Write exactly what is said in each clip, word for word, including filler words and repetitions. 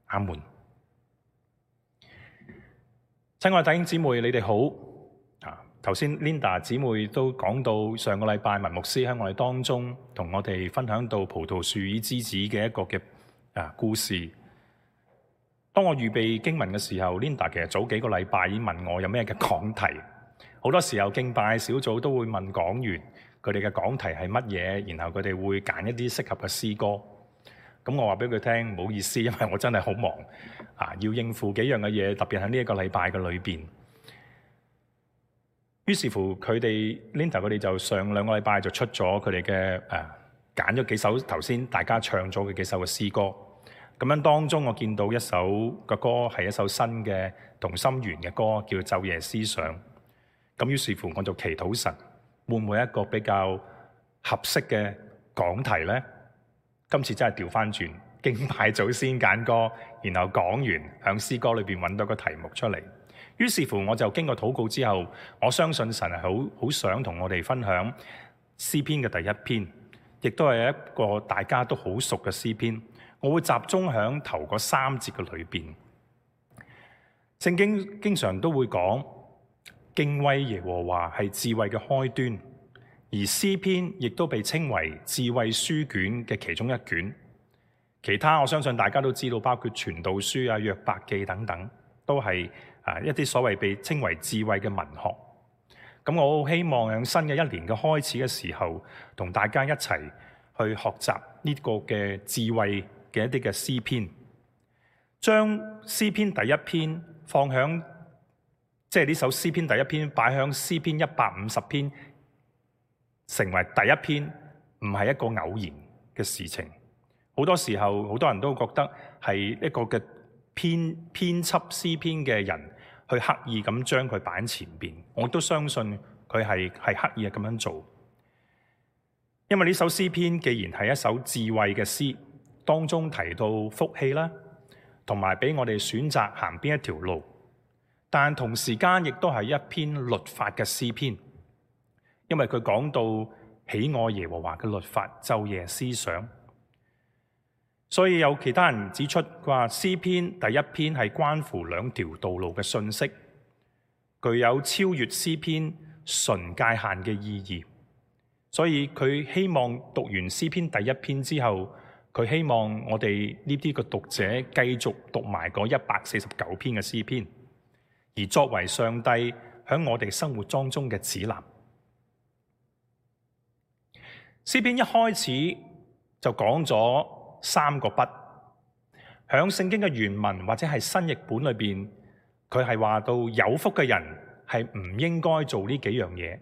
阿門。親愛弟兄姊妹，你哋好啊！頭先 Linda 姊妹都講到上個禮拜文牧師喺我哋當中同我哋分享到葡萄樹與枝子嘅一個嘅啊故事。當我預備經文嘅時候 ，Linda 其實早幾個禮拜已經問我有咩嘅講題。好多時候敬拜小組都會問講員佢哋嘅講題係乜嘢，然後佢哋會揀一啲適合嘅詩歌。咁我話俾佢聽，唔好意思，因為我真係好忙啊，要應付幾樣嘅嘢，特別喺呢一個禮拜嘅裏邊。於是乎，佢哋 Linda 佢哋就上兩個禮拜就出咗佢哋嘅誒揀咗幾首頭先大家唱咗嘅幾首嘅詩歌。咁樣當中，我見到一首嘅歌係一首新嘅同心圓嘅歌，叫《晝夜思想》。咁於是乎，我就祈禱神會唔會一個比較合適嘅講題呢？今次真係調翻轉，敬拜組先揀歌，然後講完響詩歌裏邊揾到個題目出嚟。於是乎，我就經過禱告之後，我相信神係好好想同我哋分享詩篇嘅第一篇，亦都係一個大家都好熟嘅詩篇。我會集中響頭嗰三節嘅裏邊。聖經經常都會講敬畏耶和華係智慧嘅開端，而詩篇亦都被稱為智慧書卷嘅其中一卷。其他我相信大家都知道，包括傳道書啊、約伯記等等，都係啊一啲所謂被稱為智慧嘅文學。咁我好希望喺新嘅一年嘅開始嘅時候，同大家一齊去學習呢個嘅智慧嘅一啲嘅詩篇，將詩篇第一篇放響，即係呢首詩篇第一篇擺響詩篇一百五十篇，成為第一篇，唔係一個偶然嘅事情。好多時候，好多人都覺得係一個嘅編編輯詩篇嘅人去刻意咁將佢擺喺前邊。我都相信佢係係刻意咁樣做，因為呢首詩篇既然係一首智慧嘅詩，當中提到福氣啦，同埋俾我哋選擇行邊一條路，但同時間亦都係一篇律法嘅詩篇。因為佢講到喜愛耶和華嘅律法，晝夜思想，所以有其他人指出，佢話詩篇第一篇係關乎兩條道路嘅信息，具有超越詩篇純界限嘅意義。所以佢希望讀完詩篇第一篇之後，佢希望我哋呢啲嘅讀者繼續讀埋嗰一百四十九篇嘅詩篇，而作為上帝喺我哋生活當中嘅指南。詩篇一開始就講咗三個不，響聖經嘅原文或者係新譯本裏邊，佢係話到有福嘅人係唔應該做呢幾樣嘢，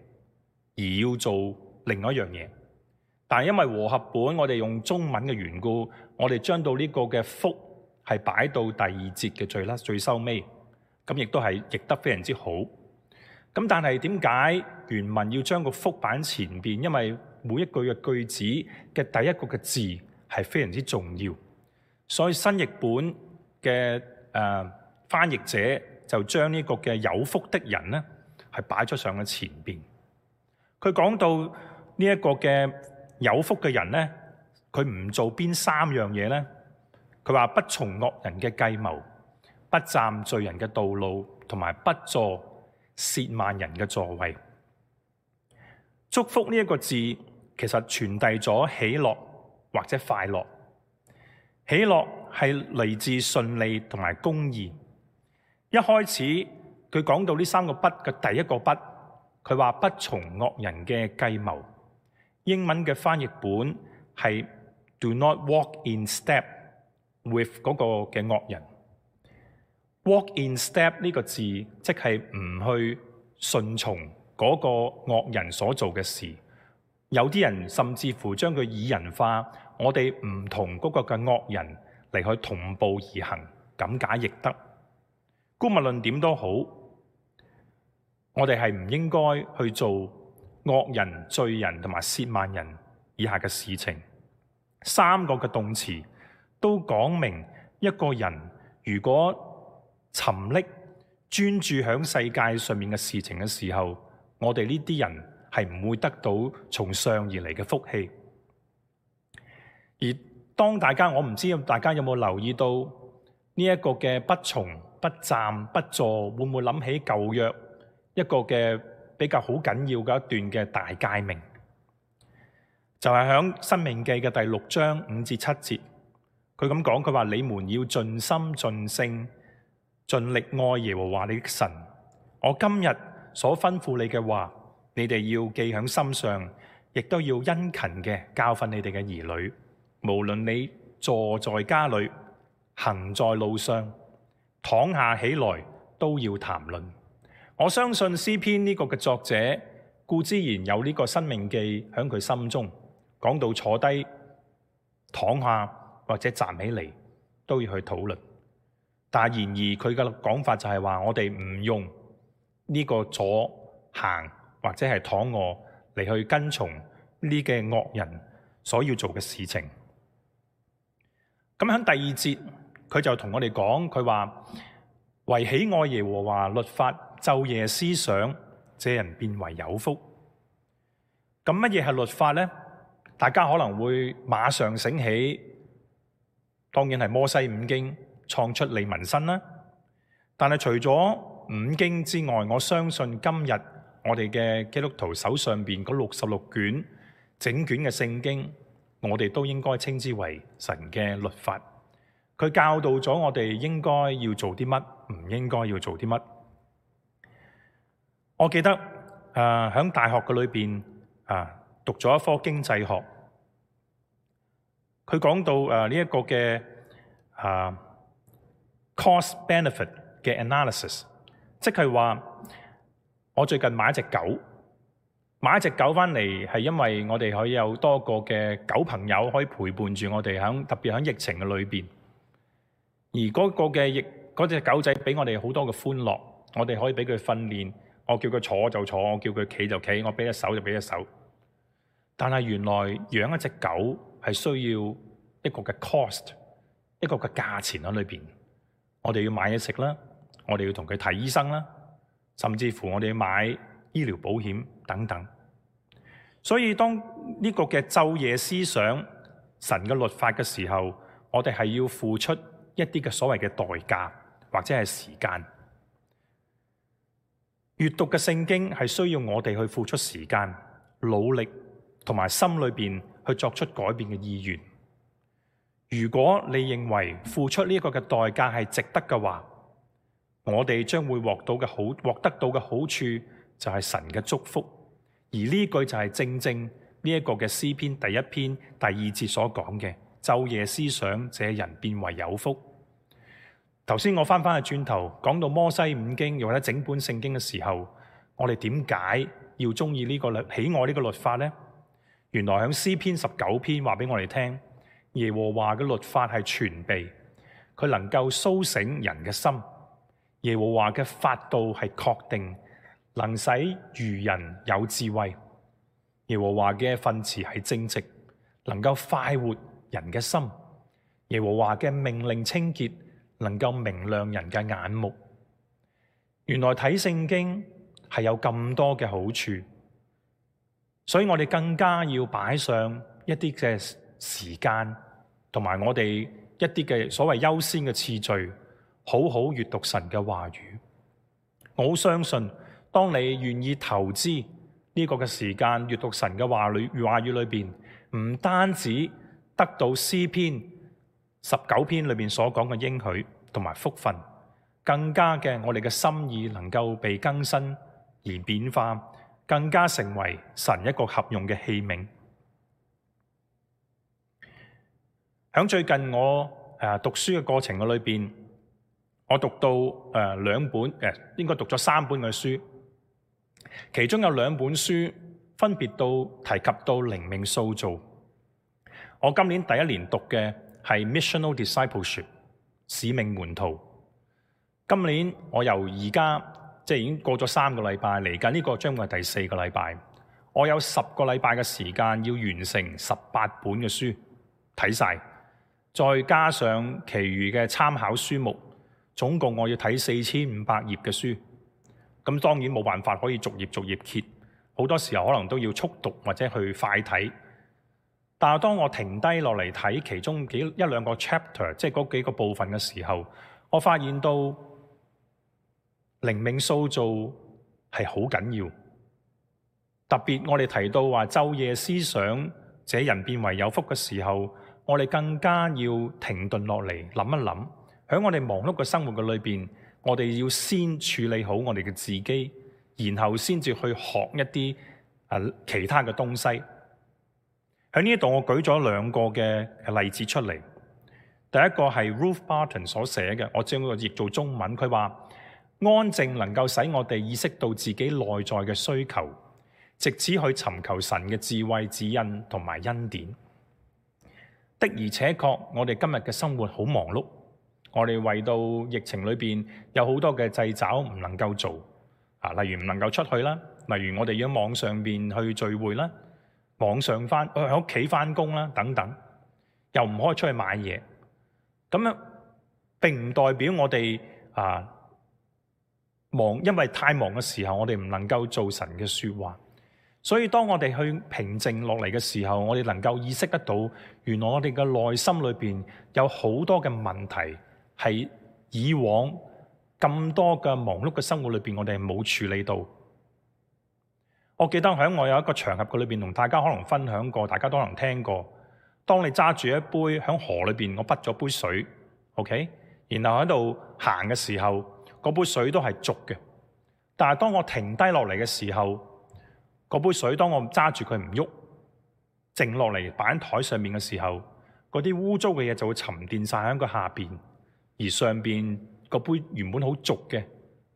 而要做另外一樣嘢。但係因為和合本我哋用中文嘅緣故，我哋將到呢個嘅福係擺到第二節嘅最啦最收尾，咁亦都係譯得非常之好。咁但係點解原文要將個福擺喺前邊？因為每一句嘅句子嘅第一個嘅字係非常之重要，所以新譯本嘅誒、呃、翻譯者就將呢個嘅有福的人咧係擺咗上去前邊。佢講到呢一個嘅有福嘅人咧，佢唔做邊三樣嘢咧？佢話不從惡人嘅計謀，不站罪人嘅道路，同埋不坐褻慢人嘅座位。祝福呢一個字其實傳遞咗喜樂或者快樂。喜樂係嚟自順利同埋公義。一開始佢講到呢三個不嘅第一個不，佢話不從惡人嘅計謀。英文嘅翻譯本係 Do not walk in step with 嗰個嘅惡人。Walk in step 呢個字即係唔去順從嗰個惡人所做嘅事。有啲人甚至乎將佢擬人化，我哋唔同嗰個嘅惡人嚟去同步而行，咁解亦得。姑勿論點都好，我哋係唔應該去做惡人、罪人同埋褻慢人以下嘅事情。三個嘅動詞都講明一個人如果沉溺專注喺世界上面嘅事情嘅時候，我哋呢啲人係唔會得到從上而嚟嘅福氣。而當大家，我唔知大家有冇留意到呢一個嘅不從不站不坐，會唔會諗起舊約一個嘅比較好緊要嘅一段嘅大誡命？就係響《申命記》嘅第六章五至七節，佢咁講，佢話你們要盡心盡性盡力愛耶和華你的神。我今日所吩咐你嘅話，你哋要記喺心上，亦都要殷勤嘅教訓你哋嘅兒女。無論你坐在家裏，行在路上，躺下起來，都要談論。我相信詩篇呢個嘅作者固之然有呢個申命記喺佢心中，講到坐低、躺下或者站起嚟都要去討論。但然而佢嘅講法就係話，我哋唔用呢個坐行或者係躺臥嚟去跟從呢嘅惡人所要做嘅事情。咁喺第二節，佢就同我哋講，佢話為喜愛耶和華律法，晝夜思想，這人便為有福。咁乜嘢係律法呢？大家可能會馬上醒起，當然係摩西五經創出利民申啦。但係除咗五經之外，我相信今日我哋嘅基督徒手上邊嗰六十六卷整卷嘅聖經，我哋都應該稱之為神嘅律法。佢教導咗我哋應該要做啲乜，唔應該要做啲乜。我記得誒喺、呃、大學嘅裏邊啊，讀咗一科經濟學，佢講到誒呢一個嘅啊 cost benefit 嘅 analysis， 即係話我最近買一隻狗，買一隻狗翻嚟係因為我哋可以有多個嘅狗朋友可以陪伴住我哋，喺特別喺疫情嘅裏邊。而嗰個嘅疫嗰隻狗仔俾我哋好多嘅歡樂，我哋可以俾佢訓練，我叫佢坐就坐，我叫佢企就企，我俾隻手就俾隻手。但係原來養一隻狗係需要一個嘅 cost， 一個嘅價錢喺裏邊。我哋要買嘢食啦，我哋要同佢睇醫生啦，甚至乎我哋要買醫療保險等等。所以當呢個嘅晝夜思想神嘅律法嘅時候，我哋係要付出一啲嘅所謂嘅代價或者係時間。閱讀嘅聖經係需要我哋去付出時間、努力同埋心裏邊去作出改變嘅意願。如果你認為付出呢個嘅代價係值得嘅話，我哋將會獲到嘅好獲得到嘅好處就係神嘅祝福。而呢句就係正正呢一個嘅詩篇第一篇第二節所講嘅，晝夜思想，這人便為有福。頭先我翻翻去轉頭講到摩西五經又或者整本聖經嘅時候，我哋點解要中意呢個律喜愛呢個律法呢？原來喺詩篇十九篇話俾我哋聽，耶和華嘅律法係全備，佢能夠甦醒人嘅心。耶和華嘅法度係確定，能使愚人有智慧。耶和華嘅訓詞係正直，能夠快活人嘅心。耶和華嘅命令清潔，能夠明亮人嘅眼目。原來睇聖經係有咁多嘅好處，所以我哋更加要擺上一啲嘅時間，同埋我哋一啲嘅所謂優先嘅次序，好好閱讀神嘅話語。我好相信，當你願意投資呢個嘅時間閱讀神嘅話語話語裏邊，唔單止得到詩篇十九篇裏面所講嘅應許同埋福分，更加嘅我哋嘅心意能夠被更新而變化，更加成為神一個合用嘅器皿。喺最近我誒讀書嘅過程嘅裏邊，我讀到誒兩本誒，應該讀咗三本嘅書，其中有兩本書分別到提及到靈命塑造。我今年第一年讀嘅係 Missional Discipleship 使命門徒。今年我由而家即係已經過咗三個禮拜，嚟緊呢個將會係第四個禮拜。我有十個禮拜嘅時間要完成十八本嘅書睇晒，再加上其餘嘅參考書目，總共我要睇四千五百頁嘅書。咁當然冇辦法可以逐頁逐頁揭，好多時候可能都要速讀或者去快睇。但係當我停低落嚟睇其中幾一兩個 chapter， 即係嗰幾個部分嘅時候，我發現到靈命塑造係好緊要。特別我哋提到話晝夜思想，這人變為有福嘅時候，我哋更加要停頓落嚟諗一諗，喺我哋忙碌嘅生活嘅裏邊，我哋要先處理好我哋嘅自己，然後先至去學一啲啊其他嘅東西。喺呢度我舉咗兩個嘅例子出嚟。第一個係 Ruth Barton 所寫嘅，我將佢譯做中文。佢話安靜能夠使我哋意識到自己內在嘅需求，藉此去尋求神嘅智慧、指引同埋恩典。的而且確，我哋今日嘅生活好忙碌，我哋為到疫情裏邊有好多嘅掣肘唔能夠做啊，例如唔能夠出去啦，例如我哋要網上邊去聚會啦，網上翻喺屋企翻工啦等等，又唔可以出去買嘢。咁樣並唔代表我哋啊忙，因為太忙嘅時候，我哋唔能夠做神嘅說話。所以當我哋去平靜落嚟嘅時候，我哋能夠意識得到，原來我哋嘅內心裏邊有好多嘅問題係以往咁多嘅忙碌嘅生活裏邊，我哋係冇處理到。我記得喺我有一個場合嘅裏邊，同大家可能分享過，大家都可能聽過。當你揸住一杯喺河裏邊，我滗咗杯水 ，OK， 然後喺度行嘅時候，嗰杯水都係濁嘅。但係當我停低落嚟嘅時候，嗰杯水當我揸住佢唔喐，靜落嚟擺喺台上面嘅時候，嗰啲污糟嘅嘢就會沉澱晒喺個下邊，而上邊個杯原本好濁嘅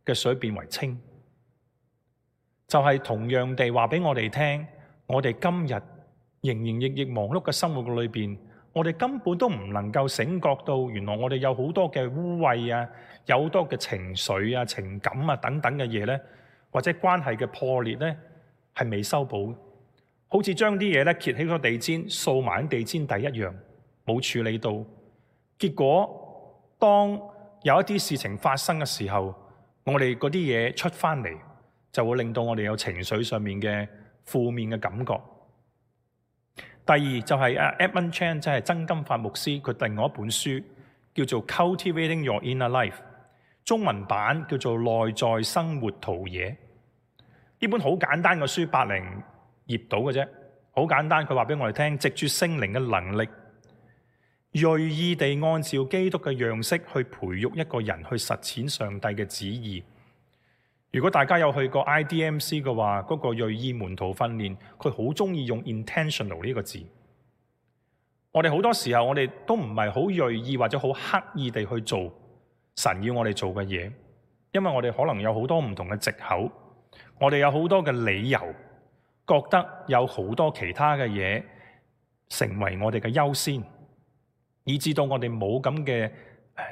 嘅水變為清。就係同樣地話俾我哋聽，我哋今日營營役役忙碌嘅生活嘅裏邊，我哋根本都唔能夠醒覺到，原來我哋有好多嘅污穢啊，有好多嘅情緒啊、情感啊等等嘅嘢咧，或者關係嘅破裂咧，係未修補，好似將啲嘢咧揭起個地氈，掃埋喺地氈底一樣，冇處理到。結果當有一啲事情發生嘅時候，我哋嗰啲嘢出翻嚟，就會令到我哋有情緒上面嘅負面嘅感覺。第二就係阿 Edmund Chan， 即係曾金發牧師，佢另外一本書叫做 Cultivating Your Inner Life， 中文版叫做內在生活陶冶。呢本好簡單嘅書，百零頁到嘅啫，好簡單。佢話俾我哋聽，藉住聖靈嘅能力，銳意地按照基督嘅樣式去培育一個人去實踐上帝嘅旨意。如果大家有去過 I D M C 嘅話，嗰個銳意門徒訓練，佢好中意用 intentional 呢個字。我哋好多時候，我哋都唔係好銳意或者好刻意地去做神要我哋做嘅嘢，因為我哋可能有好多唔同嘅藉口，我哋有好多嘅理由，覺得有好多其他嘅嘢成為我哋嘅優先，以致到我哋冇咁嘅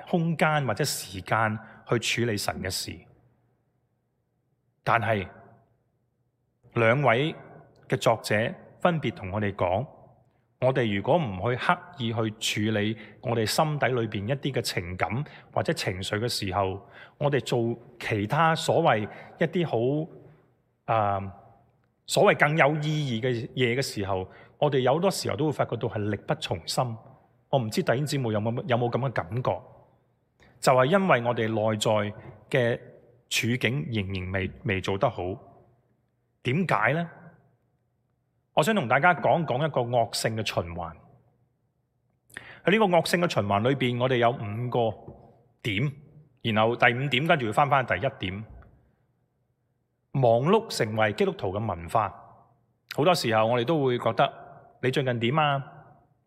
空間或者時間去處理神嘅事。但係兩位嘅作者分別同我哋講，我哋如果唔去刻意去處理我哋心底裏邊一啲嘅情感或者情緒嘅時候，我哋做其他所謂一啲好啊所謂更有意義嘅嘢嘅時候，我哋有好多時候都會發覺到係力不從心。我唔知弟兄姊妹有冇有冇咁嘅感覺？就係因為我哋內在嘅處境仍然未未做得好，點解呢？我想同大家講講一個惡性嘅循環。喺呢個惡性嘅循環裏邊，我哋有五個點，然後第五點跟住要翻翻第一點。忙碌成為基督徒嘅文化，好多時候我哋都會覺得你最近點啊？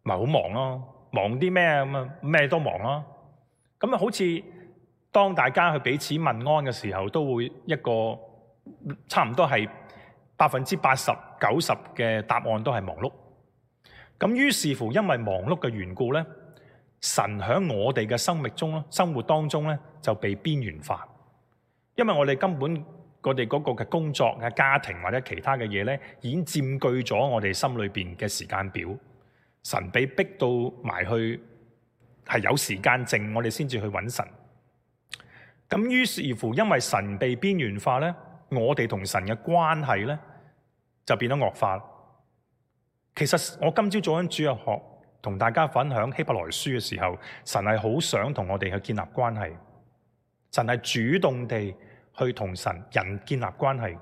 咪好忙咯，忙啲咩咁啊？咩都忙咯。咁啊，好似當大家去彼此問安嘅時候，都會一個差唔多係百分之八十九十嘅答案都係忙碌。咁於是乎，因為忙碌嘅緣故咧，神喺我哋嘅生命中咧、生活當中咧就被邊緣化，因為我哋根本我哋嗰個嘅工作嘅家庭或者其他嘅嘢咧，已經佔據咗我哋心裏邊嘅時間表。神被逼到埋去，係有時間剩，我哋先至去揾神。咁於是乎，因為神被邊緣化咧，我哋同神嘅關係咧就變得惡化。其實我今朝早喺主日學同大家分享希伯來書嘅時候，神係好想同我哋去建立關係，神係主動地去同神人建立關係。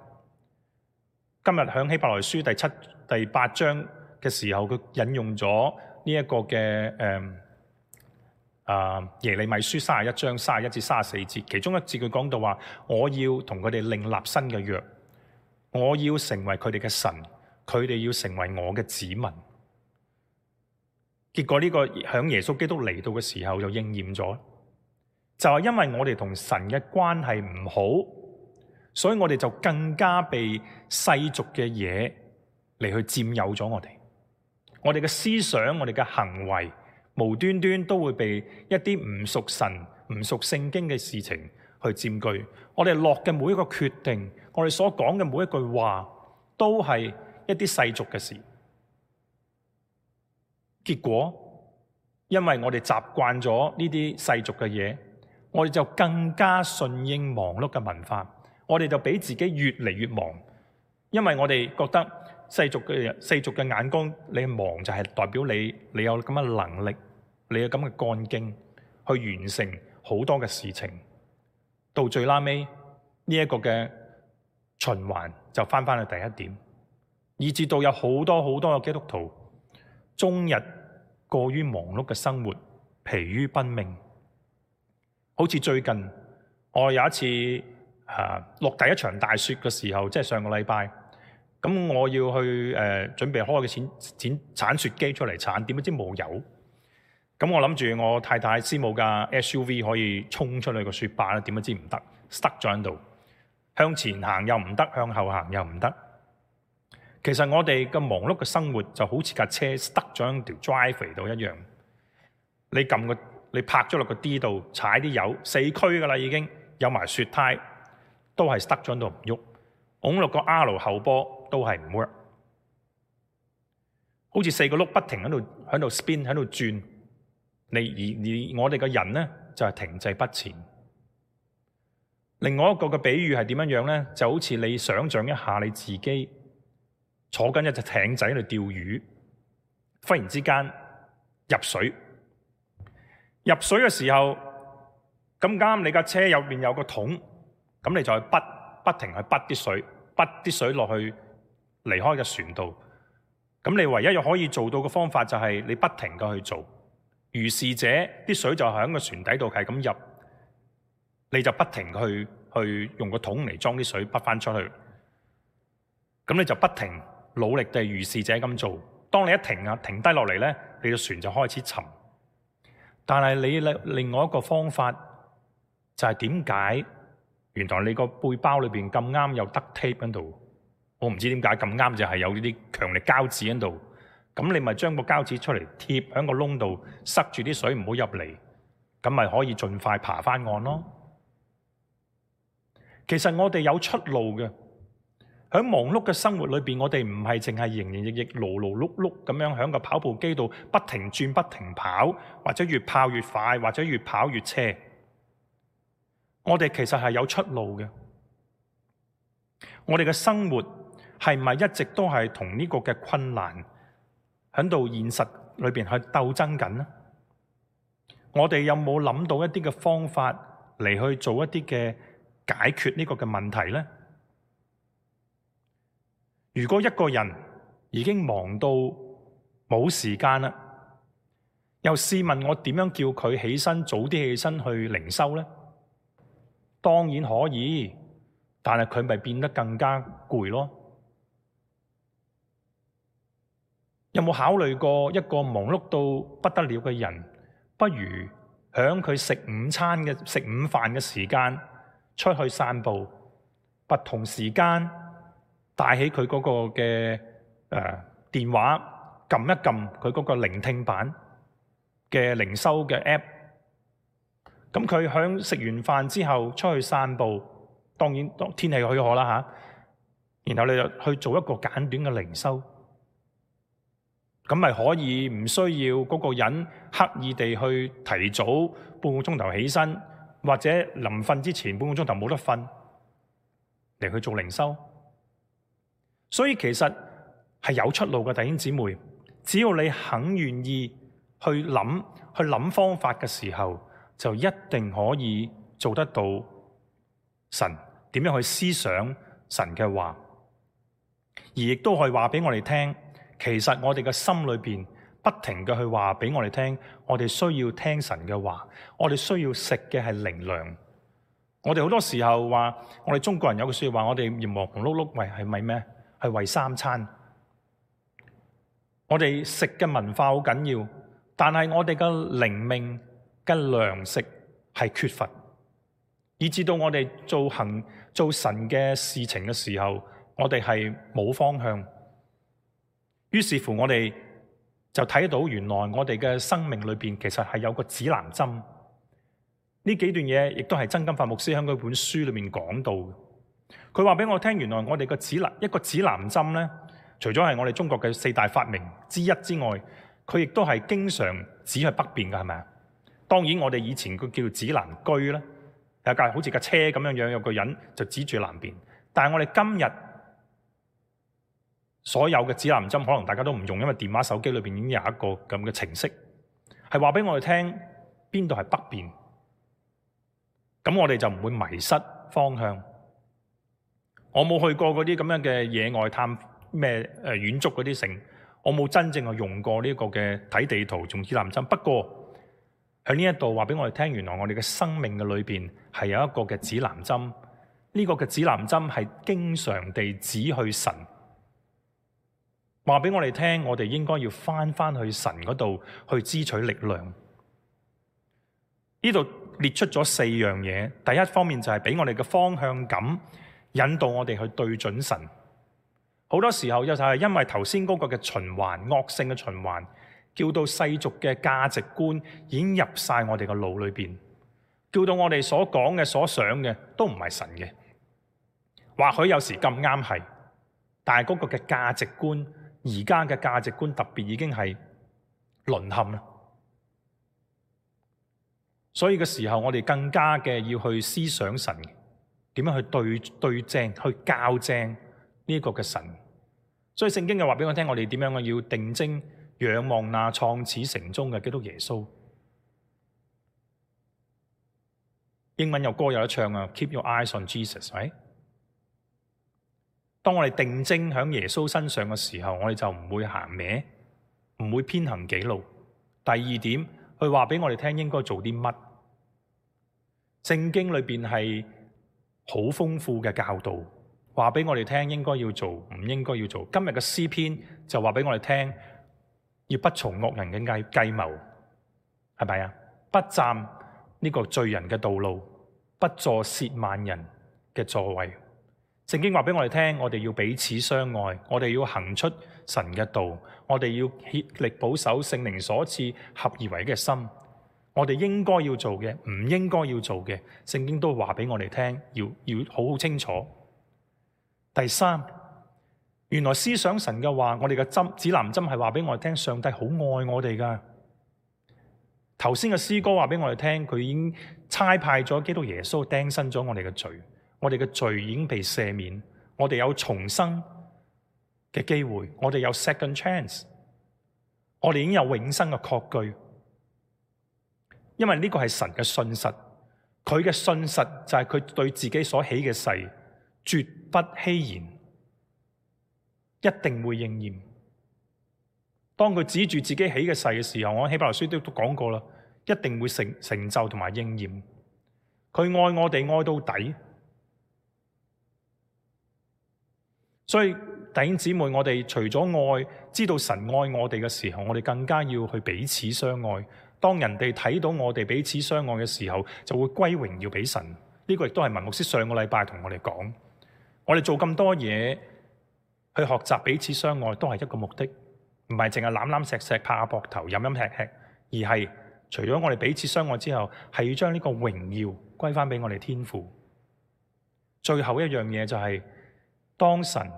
今日喺希伯來書第七、第八章嘅時候，佢引用咗呢一個嘅誒啊耶利米書三十一章三十一至三十四節，其中一節佢講到話：我要同佢哋另立新嘅約，我要成為佢哋嘅神，佢哋要成為我嘅子民。結果呢個響耶穌基督嚟到嘅時候就應驗咗，就係因為我哋同神嘅關係唔好，所以我哋就更加被世俗嘅嘢嚟去佔有咗我哋。我哋嘅思想，我哋嘅行為，無端端都會被一啲唔屬神、唔屬聖經嘅事情去佔據。我哋落嘅每一個決定，我哋所講嘅每一句話，都係一啲世俗嘅事。結果，因為我哋習慣咗呢啲世俗嘅嘢，我哋就更加順應忙碌嘅文化。我哋就俾自己越嚟越忙，因為我哋覺得世俗嘅世俗嘅眼光，你忙就係代表你你有咁嘅能力，你有咁嘅幹勁去完成好多嘅事情。到最拉尾呢一個嘅循環就翻翻去第一點，以至到有好多好多嘅基督徒終日過於忙碌嘅生活，疲於奔命。好似最近我有一次啊落第一場大雪嘅時候，即係上個禮拜，咁我要去誒、呃、準備開個剪剪鏟雪機出嚟鏟，點不知冇油。咁我諗住我太太師母架 S U V 可以衝出去個雪壩咧，點不知唔得，stuck 咗喺度，向前行又唔得，向後行又唔得。其實我哋嘅忙碌嘅生活就好似架車 stuck 咗喺條 driveway 度一樣，你撳個你拍咗落個 D 度，踩啲油，四驅噶啦已經，有埋雪胎，都係 stuck 咗喺度唔喐，拱落個 R 後波都係唔 work， 好似四個轆不停喺度喺度 spin 喺度轉，你而而我哋嘅人咧就係停滯不前。另外一個嘅比喻係點樣樣咧？就好似你想象一下你自己坐緊一隻艇仔喺度釣魚，忽然之間入水，入水嘅時候咁啱你架車入面有個桶，咁你就去滗不停去滗啲水，滗啲水落去離開嘅船度。咁你唯一可以做到嘅方法就係你不停嘅去做，如是者啲水就喺個船底度係咁入，你就不停去去用個桶嚟裝啲水滗翻出去。咁你就不停努力地如是者咁做。當你一停啊停低落嚟咧，你個船就開始沉。但係你另外一個方法就係點解？原來你個背包裏邊咁啱有 duct tape 喺度，我唔知點解咁啱就係有呢啲強力膠紙喺度。咁你咪將個膠紙出嚟貼喺個窿度，塞住啲水唔好入嚟，咁咪可以盡快爬翻岸咯。其實我哋有出路嘅。喺忙碌嘅生活裏邊，我哋唔係淨係營營役役、勞勞碌碌咁樣喺個跑步機度不停轉、不停跑，或者越跑越快，或者越跑越斜。我哋其實係有出路嘅。我哋嘅生活係咪一直都係同呢個嘅困難喺度現實裏邊去鬥爭緊呢？我哋有冇諗到一啲嘅方法嚟去做一啲嘅解決呢個嘅問題呢？如果一個人已經忙到冇時間啦，又試問我點樣叫佢起身早啲起身去靈修呢？當然可以，但係佢咪變得更加攰咯。有冇考慮過一個忙碌到不得了嘅人，不如響佢食午餐嘅食午飯嘅時間出去散步，不同時間帶起佢嗰個嘅誒、呃、電話，撳一撳佢嗰個聆聽版嘅靈修嘅 app。咁佢響食完飯之後出去散步，當然天氣許可啦吓。然後你就去做一個簡短嘅靈修，咁咪可以唔需要嗰個人刻意地去提早半個鐘頭起身，或者臨瞓之前半個鐘頭冇得瞓嚟去做靈修。所以其實係有出路嘅，弟兄姊妹。只要你肯願意去諗、去諗方法嘅時候，就一定可以做得到神點樣去思想神嘅話，而亦都可以話俾我哋聽，其實我哋嘅心裏邊不停嘅去話俾我哋聽，我哋需要聽神嘅話，我哋需要食嘅係靈糧。我哋好多時候話，我哋中國人有句說話，我哋要忙忙碌碌為係咪咩？係為三餐。我哋食嘅文化好緊要，但係我哋嘅靈命嘅糧食係缺乏，以至到我哋做行做神嘅事情嘅時候，我哋係冇方向。於是乎，我哋就睇到原來我哋嘅生命裏邊其實係有個指南針。呢幾段嘢亦都係曾金發牧師喺佢本書裏面講到嘅。佢話俾我聽，原來我哋個指南一個指南針咧，除咗係我哋中國嘅四大發明之一之外，佢亦都係經常指去北邊嘅，係咪啊？當然我哋以前佢叫指南居咧，有架好似架車咁樣樣，有個人就指住南邊。但係我哋今日所有嘅指南針，可能大家都唔用，因為電話手機裏邊已經有一個咁嘅程式，係話俾我哋聽邊度係北邊。咁我哋就唔會迷失方向。我冇去過嗰啲咁樣嘅野外探咩誒遠足嗰啲城，我冇真正去用過呢個嘅睇地圖用指南針。不過喺呢一度話俾我哋聽，原來我哋嘅生命嘅裏邊係有一個嘅指南針。呢個嘅指南針係經常地指去神，話俾我哋聽，我哋應該要翻翻去神嗰度去支取力量。呢度列出咗四樣嘢，第一方面就係俾我哋嘅方向感，引導我哋去對準神。好多時候就係因為頭先嗰個嘅循環，惡性嘅循環，叫到世俗嘅價值觀已經入晒我哋嘅腦裏邊，叫到我哋所講嘅、所想嘅都唔係神嘅。或許有時咁啱係，但係嗰個嘅價值觀，而家嘅價值觀特別已經係淪陷啦。所以嘅時候，我哋更加嘅要去思想神點樣去對對正、去校正呢個嘅神。所以聖經嘅話俾我聽，我哋點樣要定睛仰望那創始成終嘅基督耶穌。英文有歌有得唱啊 ，Keep your eyes on Jesus，係咪？當我哋定睛喺耶穌身上嘅時候，我哋就唔會行歪，唔會偏行己路。第二點，佢話俾我哋聽應該做啲乜？聖經裏邊係好豐富嘅教導，話俾我哋聽應該要做，唔應該要做。今日嘅詩篇就話俾我哋聽，要不從惡人嘅計計謀，係咪啊？不站呢個罪人嘅道路，不坐褻慢人嘅座位。聖經話俾我哋聽，我哋要彼此相愛，我哋要行出神嘅道，我哋要竭力保守聖靈所賜合而為嘅心。我哋應該要做嘅，唔應該要做嘅，聖經都話俾我哋聽，要要好好清楚。第三，原來思想神嘅話，我哋嘅針指南針係話俾我哋聽，上帝好愛我哋噶。頭先嘅詩歌話俾我哋聽，佢已經差派咗基督耶穌釘身咗我哋嘅罪。我哋嘅罪已經被赦免，我哋有重生嘅機會，我哋有 second chance， 我哋已經有永生嘅確據。因為呢個係神嘅信實，佢嘅信實就係佢對自己所起嘅誓，絕不欺言，一定會應驗。當佢指住自己起嘅誓嘅時候，我喺希伯來書都都講過啦，一定會成成就同埋應驗。佢愛我哋愛到底。所以弟兄姊妹，我哋除咗愛，知道神愛我哋嘅時候，我哋更加要去彼此相愛。當人哋睇到我哋彼此相愛嘅時候，就會歸榮耀俾神。呢個亦都係文牧師上個禮拜同我哋講。我哋做咁多嘢去學習彼此相愛，都係一個目的，唔係淨係攬攬錫錫、拍下膊頭、飲飲吃吃，而係除咗我哋彼此相愛之後，係要將呢個榮耀歸翻俾我哋天父。最後一樣嘢就係，當神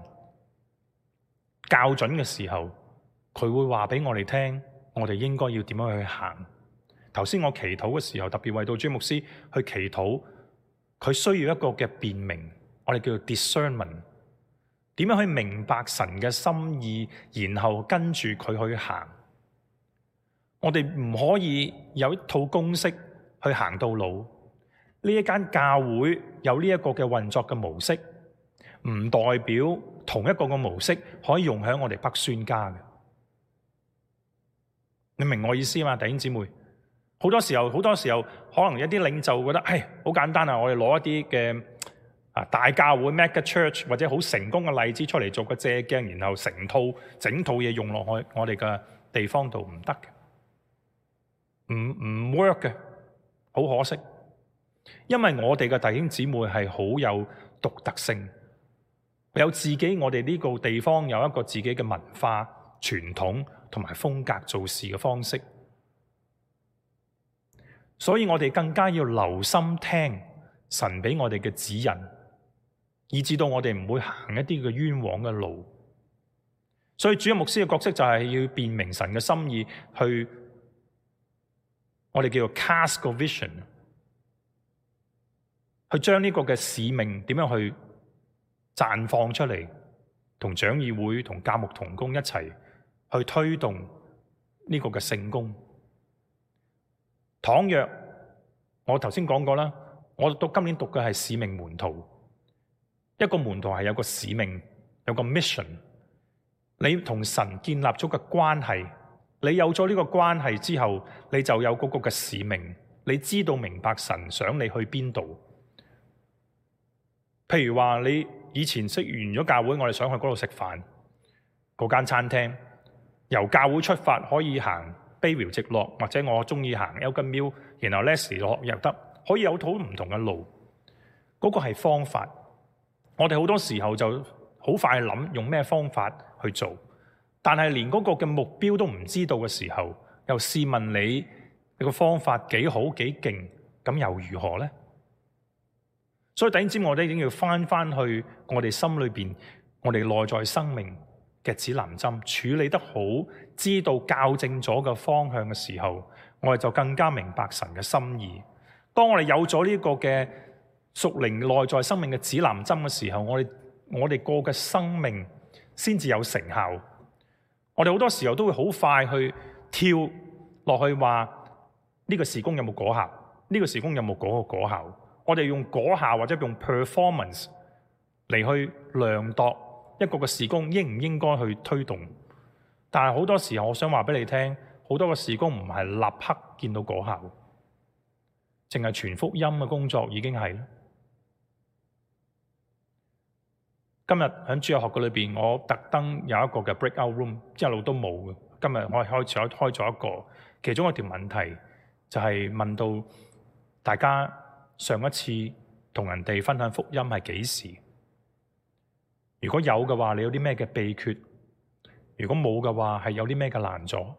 校準嘅時候，佢會話俾我哋聽，我哋應該要點樣去行。頭先我祈禱嘅時候，特別為到朱牧師去祈禱，佢需要一個嘅辨明，我哋叫做 discernment。點點樣去明白神嘅心意，然後跟住佢去行。我哋唔可以有一套公式去行到老。呢一間教會有呢一個嘅運作嘅模式，唔代表同一個嘅模式可以用喺我哋北宣家嘅。你明我意思嘛，弟兄姊妹？好多時候，好多時候可能一啲領袖覺得，唉，好簡單啊！我哋攞一啲嘅啊大教會 mega church 或者好成功嘅例子出嚟做個借鏡，然後成套整套嘢用落去我哋嘅地方度，唔得嘅，唔唔 work 嘅，好可惜。因為我哋嘅弟兄姊妹係好有獨特性，有自己我哋呢個地方有一個自己嘅文化傳統同埋風格做事嘅方式，所以我哋更加要留心聽神俾我哋嘅指引，以至到我哋唔會行一啲嘅冤枉嘅路。所以主任牧師嘅角色就係要辨明神嘅心意，去我哋叫做 cast 個 vision，去將呢個嘅使命點樣去綻放出嚟，同長議會同教牧同工一齊去推動呢個嘅聖工。倘若我頭先講過啦，我讀今年讀嘅係使命門徒，一個門徒係有個使命，有個 mission。你同神建立咗個關係，你有咗呢個關係之後，你就有嗰個嘅使命，你知道明白神想你去邊度。譬如話你以前識完咗教會，我哋想去嗰度食飯，嗰間餐廳由教會出發可以行卑寮直落，或者我中意行 Elgin Mill，然後 Leslie 落又得，可以有好唔同嘅路。嗰個係方法，我哋好多時候就好快諗用咩方法去做，但係連嗰個嘅目標都唔知道嘅時候，又試問你你個方法幾好幾勁，咁又如何呢？所以弟兄姊妹，我哋已經要翻翻去我哋心裏邊，我哋內在生命嘅指南針處理得好，知道校正咗個方向嘅時候，我哋就更加明白神嘅心意。當我哋有咗呢個嘅屬靈內在生命嘅指南針嘅時候，我哋我哋過嘅生命先至有成效。我哋好多時候都會好快去跳落去話呢個事工有冇果效，呢個事工有冇嗰個果效。我哋用果效或者用 performance 嚟去量度一個嘅事工應唔應該去推動。但係好多時候我想話俾你聽，好多嘅事工唔係立刻見到果效，淨係傳福音嘅工作已經係。今日喺主日學嘅裏邊，我特登有一個嘅 breakout room，一路都冇嘅。今日我開始開咗一個，其中一條問題就係問到大家上一次同人哋分享福音係幾時？如果有嘅話，你有啲咩嘅秘訣？如果冇嘅話，係有啲咩嘅難阻？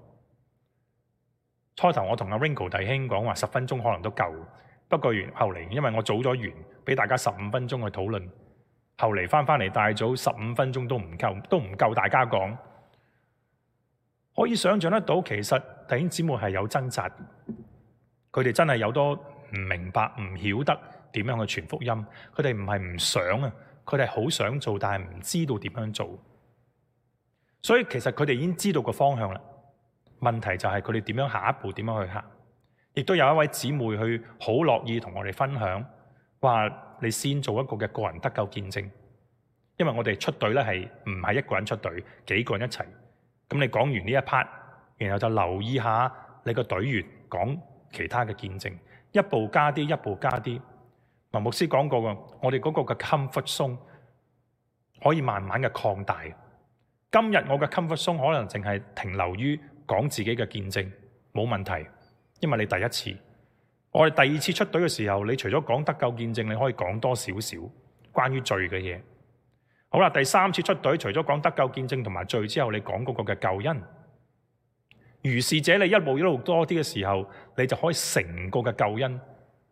初頭我同阿 Ringo 弟兄講話十分鐘可能都夠，不過完後嚟，因為我早咗完，俾大家十五分鐘去討論。後嚟翻翻嚟大組十五分鐘都唔夠，都唔夠大家講。可以想象得到，其實弟兄姊妹係有掙扎，佢哋真係有多唔明白、唔曉得點樣去傳福音。佢哋唔係唔想啊，佢哋好想做，但係唔知道點樣做。所以其實佢哋已經知道個方向啦。問題就係佢哋點樣下一步點樣去行。亦都有一位姊妹去好樂意同我哋分享，話你先做一個嘅個人得救見證，因為我哋出隊咧係唔係一個人出隊，幾個人一齊。咁你講完呢一 part，然後就留意下你個隊員講其他嘅見證，一步加啲，一步加啲。文牧師講過嘅，我哋嗰個嘅 comfort zone 可以慢慢嘅擴大。今日我嘅 comfort zone 可能淨係停留於講自己嘅見證，冇問題，因為你第一次。我哋第二次出隊嘅時候，你除咗講得救見證，你可以講多少少關於罪嘅嘢。好啦，第三次出隊，除咗講得救見證同埋罪之後，你講嗰個嘅救恩。如是者，你一路一路多啲嘅時候，你就可以成個嘅救恩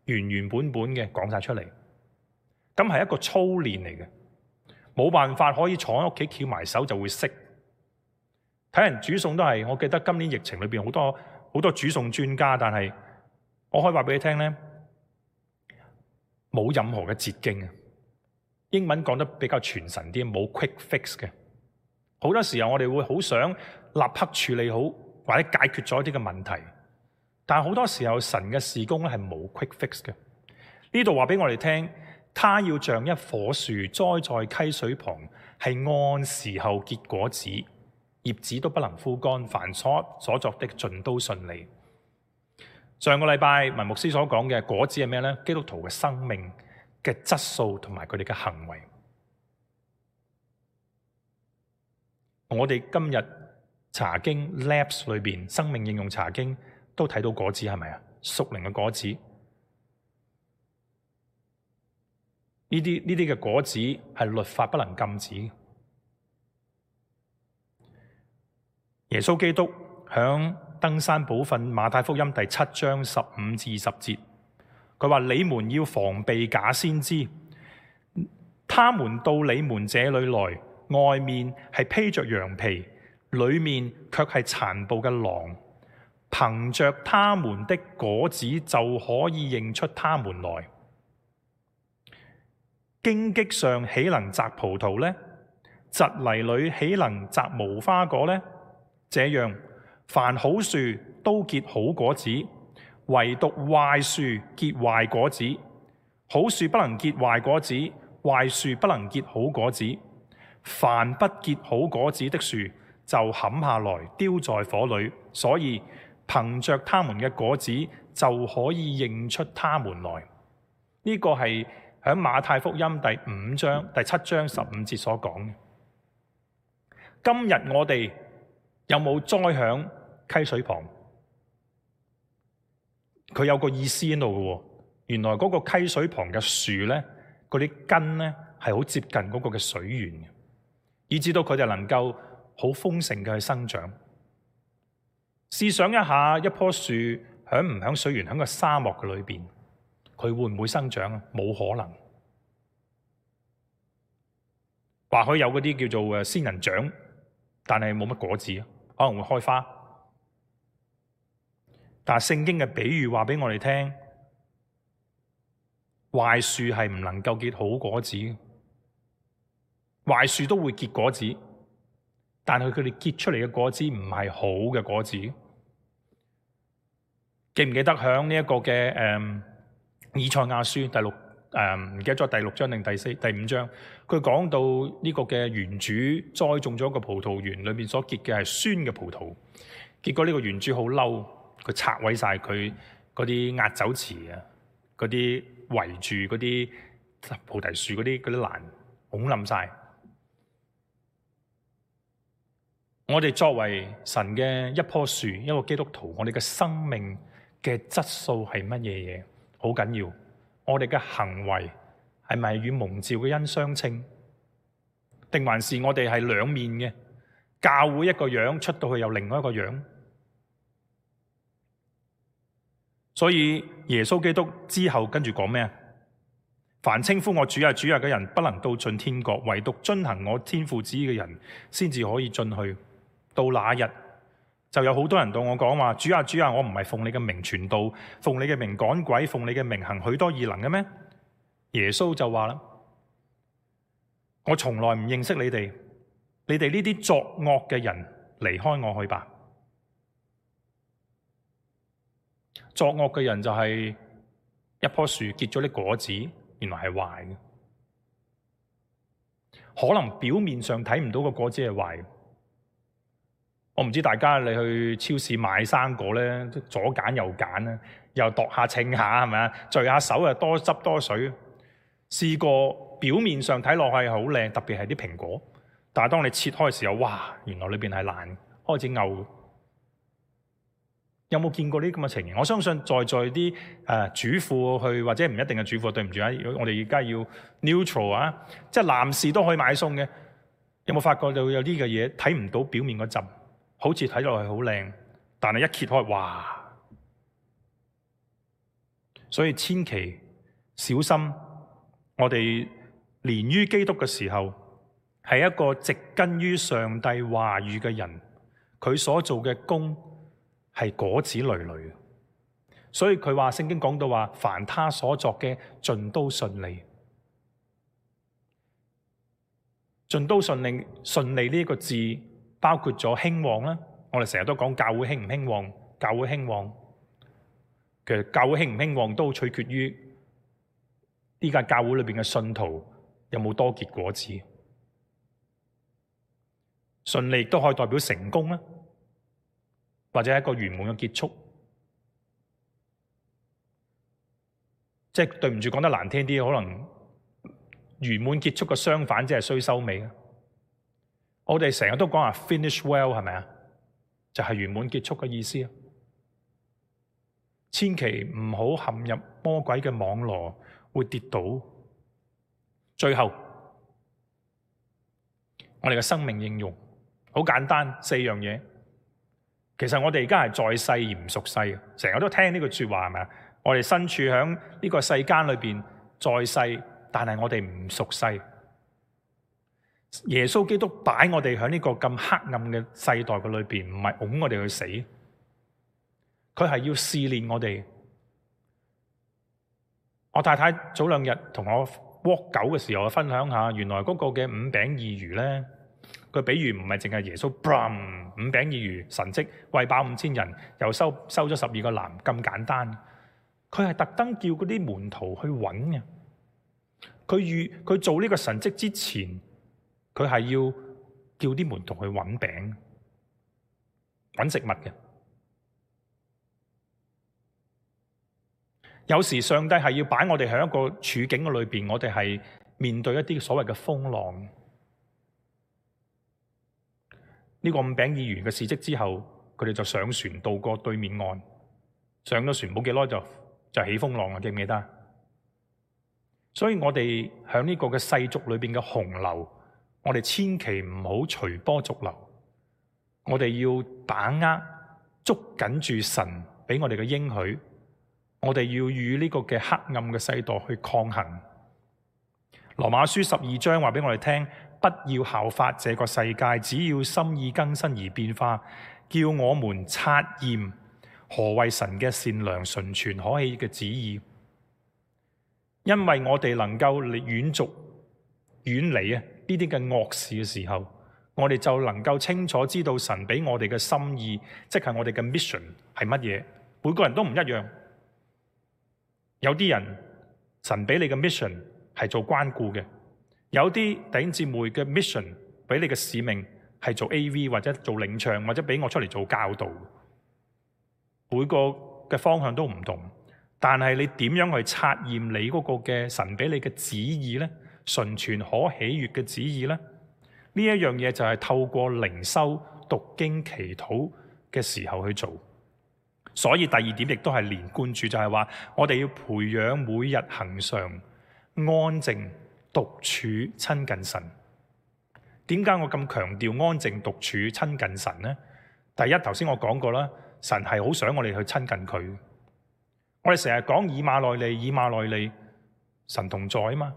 原原本本嘅講晒出嚟。咁係一個操練嚟嘅，冇辦法可以坐喺屋企翹埋手就會識。睇人煮餸都係，我記得今年疫情裏邊好多好多煮餸專家，但係我可以話俾你聽咧，冇任何嘅捷徑啊！英文講得比較傳神啲，冇 quick fix 嘅。好多時候我哋會好想立刻處理好或者解決咗一啲嘅問題，但係好多時候神嘅事工咧係冇 quick fix 嘅。呢度話俾我哋聽，他要像一棵樹栽在溪水旁，係按時候結果子，葉子都不能枯乾，凡所所作的盡都順利。上個禮拜文牧師所講嘅果子係咩呢？基督徒嘅生命嘅質素同埋佢哋嘅行為。我哋今日查經 Labs 裏邊生命應用查經都睇到果子，係咪啊？屬靈嘅果子，呢啲呢啲嘅果子係律法不能禁止。耶穌基督響登山寶訓馬太福音第七章十五至二十節，佢話：你們要防備假先知，他們到你們這裏來，外面係披着羊皮，裏面卻係殘暴嘅狼。憑着他們的果子就可以認出他們來。荊棘上豈能摘葡萄呢？蒺藜裏豈能摘無花果呢？這樣，凡好樹都結好果子，唯獨壞樹結壞果子。好樹不能結壞果子，壞樹不能結好果子。凡不結好果子的樹，就砍下來丟在火裏。所以憑着他們嘅果子，就可以認出他們來。呢、這個係喺馬太福音第五章第七章十五節所講嘅。今日我哋有冇栽響溪水旁？佢有個意思喺度嘅。原來嗰個溪水旁嘅樹咧，嗰啲根咧係好接近嗰個嘅水源嘅，以至到佢哋能夠好豐盛嘅去生長。試想一下，一棵樹響唔響水源，響個沙漠嘅裏邊，佢會唔會生長啊？冇可能。或許有嗰啲叫做誒仙人掌，但係冇乜果子，可能會開花。但係聖經嘅比喻話俾我哋聽，壞樹係唔能夠結好果子，壞樹都會結果子，但係佢哋結出嚟嘅果子唔係好嘅果子。記唔記得響呢一個嘅誒、嗯、以賽亞書第六誒唔記得咗第六章定第四第五章，佢講到呢個嘅園主栽種咗一個葡萄園，裏面所結嘅係酸嘅葡萄，結果呢個園主好嬲，佢拆毀晒佢嗰啲壓酒池啊，嗰啲圍住嗰啲菩提樹嗰啲嗰啲欄，拱冧晒。我哋作為神嘅一棵樹，一個基督徒，我哋嘅生命嘅質素係乜嘢嘢？好緊要。我哋嘅行為係咪與蒙召嘅恩相稱？定還是我哋係兩面嘅？教會一個樣，出到去又另外一個樣。所以耶穌基督之後跟住講咩啊？凡稱呼我主啊主啊嘅人，不能到進天國，唯獨遵行我天父旨意嘅人，先至可以進去。到那日，就有好多人對我講話：主啊主啊，我唔係奉你嘅名傳道，奉你嘅名趕鬼，奉你嘅名行許多異能嘅咩？耶穌就話啦：我從來唔認識你哋，你哋呢啲作惡嘅人，離開我去吧。作惡嘅人就係一棵樹結咗啲果子，原來係壞嘅，可能表面上睇唔到個果子係壞。我唔知大家你去超市買生果咧，左揀右揀啦，又度下稱下係咪啊？聚下手又多汁多水。試過表面上睇落去好靚，特別係啲蘋果，但係當你切開嘅時候，哇！原來裏邊係爛，開始嘔。有冇見過呢啲咁嘅情形？我相信在在啲誒、呃、主婦去，或者唔一定係主婦，對唔住啊！我哋而家要 neutral 啊，即係男士都可以買餸嘅。有冇發覺到有啲嘅嘢睇唔到表面嗰陣？好似睇落去好靚，但係一揭開，哇！所以千祈小心，我哋連於基督嘅時候，係一個植根於上帝話語嘅人，佢所做嘅工係果子累累。所以佢話聖經講到話，凡他所作嘅盡都順利。盡都順利，順利呢個字包括咗興旺啦。我哋成日都講教會興唔興旺，教會興旺，其實教會興唔興旺都取決於呢間教會裏邊嘅信徒有冇多結果子。順利都可以代表成功啦，或者係一個圓滿嘅結束。即係對唔住，講得難聽啲，可能圓滿結束嘅相反，即係衰收尾。我哋成日都講話 finish well， 係咪啊？就係圓滿結束嘅意思啊！千祈唔好陷入魔鬼嘅網羅，會跌倒。最後，我哋嘅生命應用好簡單，四樣嘢。其實我哋而家係在世而唔屬世，成日都聽呢句說話，係咪啊？我哋身處喺呢個世間裏邊，在世，但係我哋唔屬世。耶穌基督擺我哋喺呢個咁黑暗嘅世代嘅裏邊，唔係拱我哋去死，佢係要試煉我哋。我太太早兩日同我 walk 狗嘅時候，我分享下，原來嗰個嘅五餅二魚咧，佢比喻唔係淨係耶穌 boom 五餅二魚神蹟餵飽五千人，又收收咗十二個籃咁簡單。佢係特登叫嗰啲門徒去揾嘅。佢預佢做呢個神蹟之前，佢係要叫啲門徒去揾餅、揾食物嘅。有時上帝係要擺我哋喺一個處境嘅裏邊，我哋係面對一啲所謂嘅風浪。呢個五餅二魚嘅事蹟之後，佢哋就上船渡過對面岸。上咗船冇幾耐就就起風浪啦，記唔記得？所以我哋喺呢個嘅世俗裏邊嘅洪流，我哋千祈唔好隨波逐流。我哋要把握捉緊住神俾我哋嘅應許，我哋要與呢個嘅黑暗嘅世代去抗衡。羅馬書十二章話俾我哋聽，不要效法這個世界，只要心意更新而變化，叫我們察驗何為神嘅善良、純全、可喜嘅旨意。因為我哋能夠遠逐遠離啊呢啲嘅惡事嘅時候，我哋就能夠清楚知道神俾我哋嘅心意，即係我哋嘅 mission 係乜嘢。每個人都唔一樣，有啲人神俾你嘅 mission 係做關顧嘅，有啲弟兄姊妹嘅 mission 俾你嘅使命係做 A V 或者做領唱，或者俾我出嚟做教導。每個嘅方向都唔同。但係你點樣去察驗你嗰個嘅神俾你嘅旨意呢？純全可喜悅嘅旨意呢？呢一樣嘢就係透過靈修、讀經、祈禱嘅時候去做。所以第二點亦都係連貫住，就係話我哋要培養每日恆常安靜獨處親近神。點解我咁強調安靜獨處親近神呢？第一，頭先我講過啦，神係好想我哋去親近佢。我哋成日講以馬內利，以馬內利，神同在啊嘛。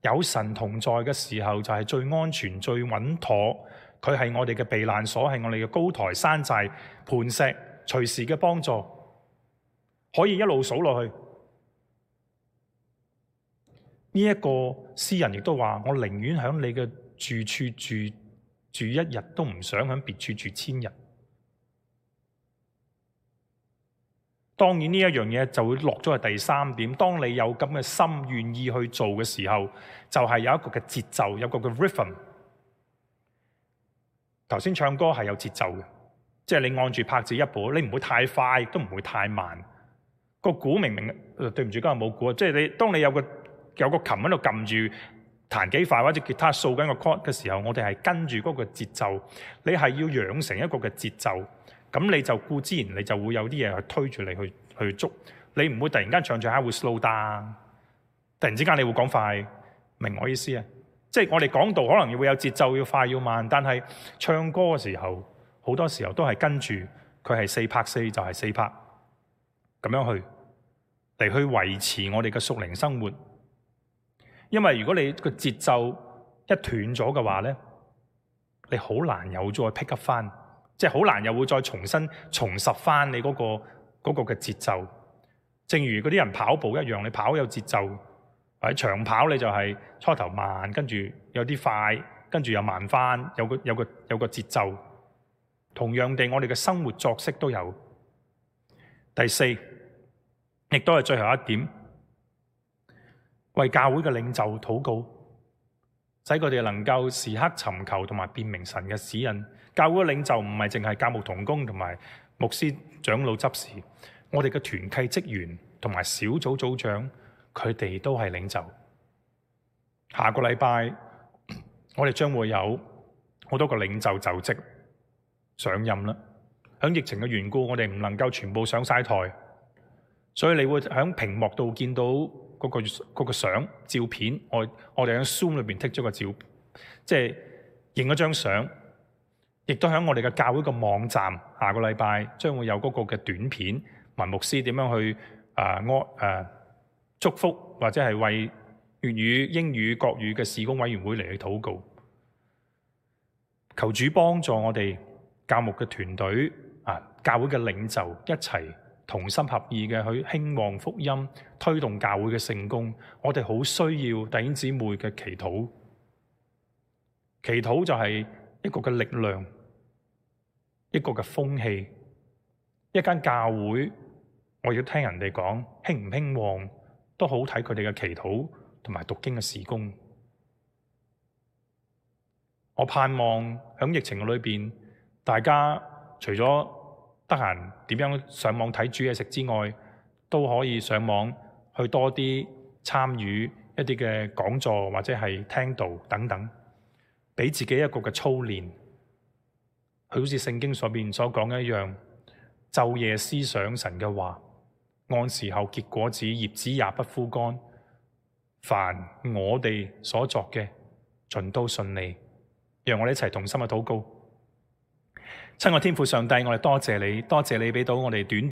有神同在嘅時候，就係最安全、最穩妥。佢係我哋嘅避難所，係我哋嘅高台、山寨、磐石，隨時嘅幫助，可以一路數落去。呢一個詩人亦都話：我寧願喺你嘅住處住住一日，都唔想喺別處住千日。當然呢一樣嘢就會落咗去第三點。當你有咁嘅心願意去做嘅時候，就係有一個嘅節奏，有一個嘅 rhythm。頭先唱歌係有節奏嘅，即係你按住拍子一步，你唔會太快，亦都唔會太慢。個鼓明明對唔住，今日冇鼓啊！即係你當你有個有個琴喺度撳住彈幾快，或者吉他掃緊個 chord 嘅時候，我哋係跟住嗰個節奏。你係要養成一個嘅節奏。咁你就固之然，你就會有啲嘢去推住你去去捉，你唔會突然間唱唱下會 slow down，突然之間你會講快，明我意思啊？即係我哋講道可能會有節奏，要快要慢，但係唱歌嘅時候，好多時候都係跟住佢係四拍四就係四拍，咁樣去嚟去維持我哋嘅屬靈生活。因為如果你個節奏一斷咗嘅話咧，你好難有再 pick up 翻。即係好難又會再重新重拾翻你嗰個嗰個嘅節奏。正如嗰啲人跑步一樣，你跑有節奏，或者長跑你就係初頭慢，跟住有啲快，跟住又慢翻，有個有個有個節奏。同樣地，我哋嘅生活作息都有。第四，亦都係最後一點，為教會嘅領袖禱告，使佢哋能夠時刻尋求同埋辨明神嘅指引。教會嘅領袖唔係淨係教牧同工同埋牧師長老執事，我哋嘅團契職員同埋小組組長，佢哋都係領袖。下個禮拜我哋將會有好多個領袖就職上任啦。響疫情嘅緣故，我哋唔能夠全部上晒台，所以你會響屏幕度見到嗰個嗰個相照片。我我哋喺 Zoom 裏邊剔咗個照，即係影咗張相，亦都響我哋嘅教會嘅網站。下個禮拜將會有嗰個嘅短片，文牧師點樣去啊安誒祝福，或者係為粵語、英語、國語嘅事工委員會嚟去禱告。求主幫助我哋教牧嘅團隊啊，教會嘅領袖一齊同心合意嘅去興旺福音，推動教會嘅聖工。我哋好需要弟兄姊妹嘅祈禱，祈禱就係一個嘅力量，一個嘅風氣。一間教會，我要聽人哋講興唔興旺，都好睇佢哋嘅祈禱同埋讀經嘅事工。我盼望喺疫情裏邊，大家除咗得閒點樣上網睇煮嘢食之外，都可以上網去多啲參與一啲嘅講座或者係聽道等等，俾自己一個嘅操練。佢好似聖經所邊所講一樣，晝夜思想神嘅話，按時候結果子，葉子也不枯乾。凡我哋所作嘅，盡都順利。讓我哋一齊同心嘅禱告。親愛天父上帝，我哋多謝你，多謝你俾到我哋短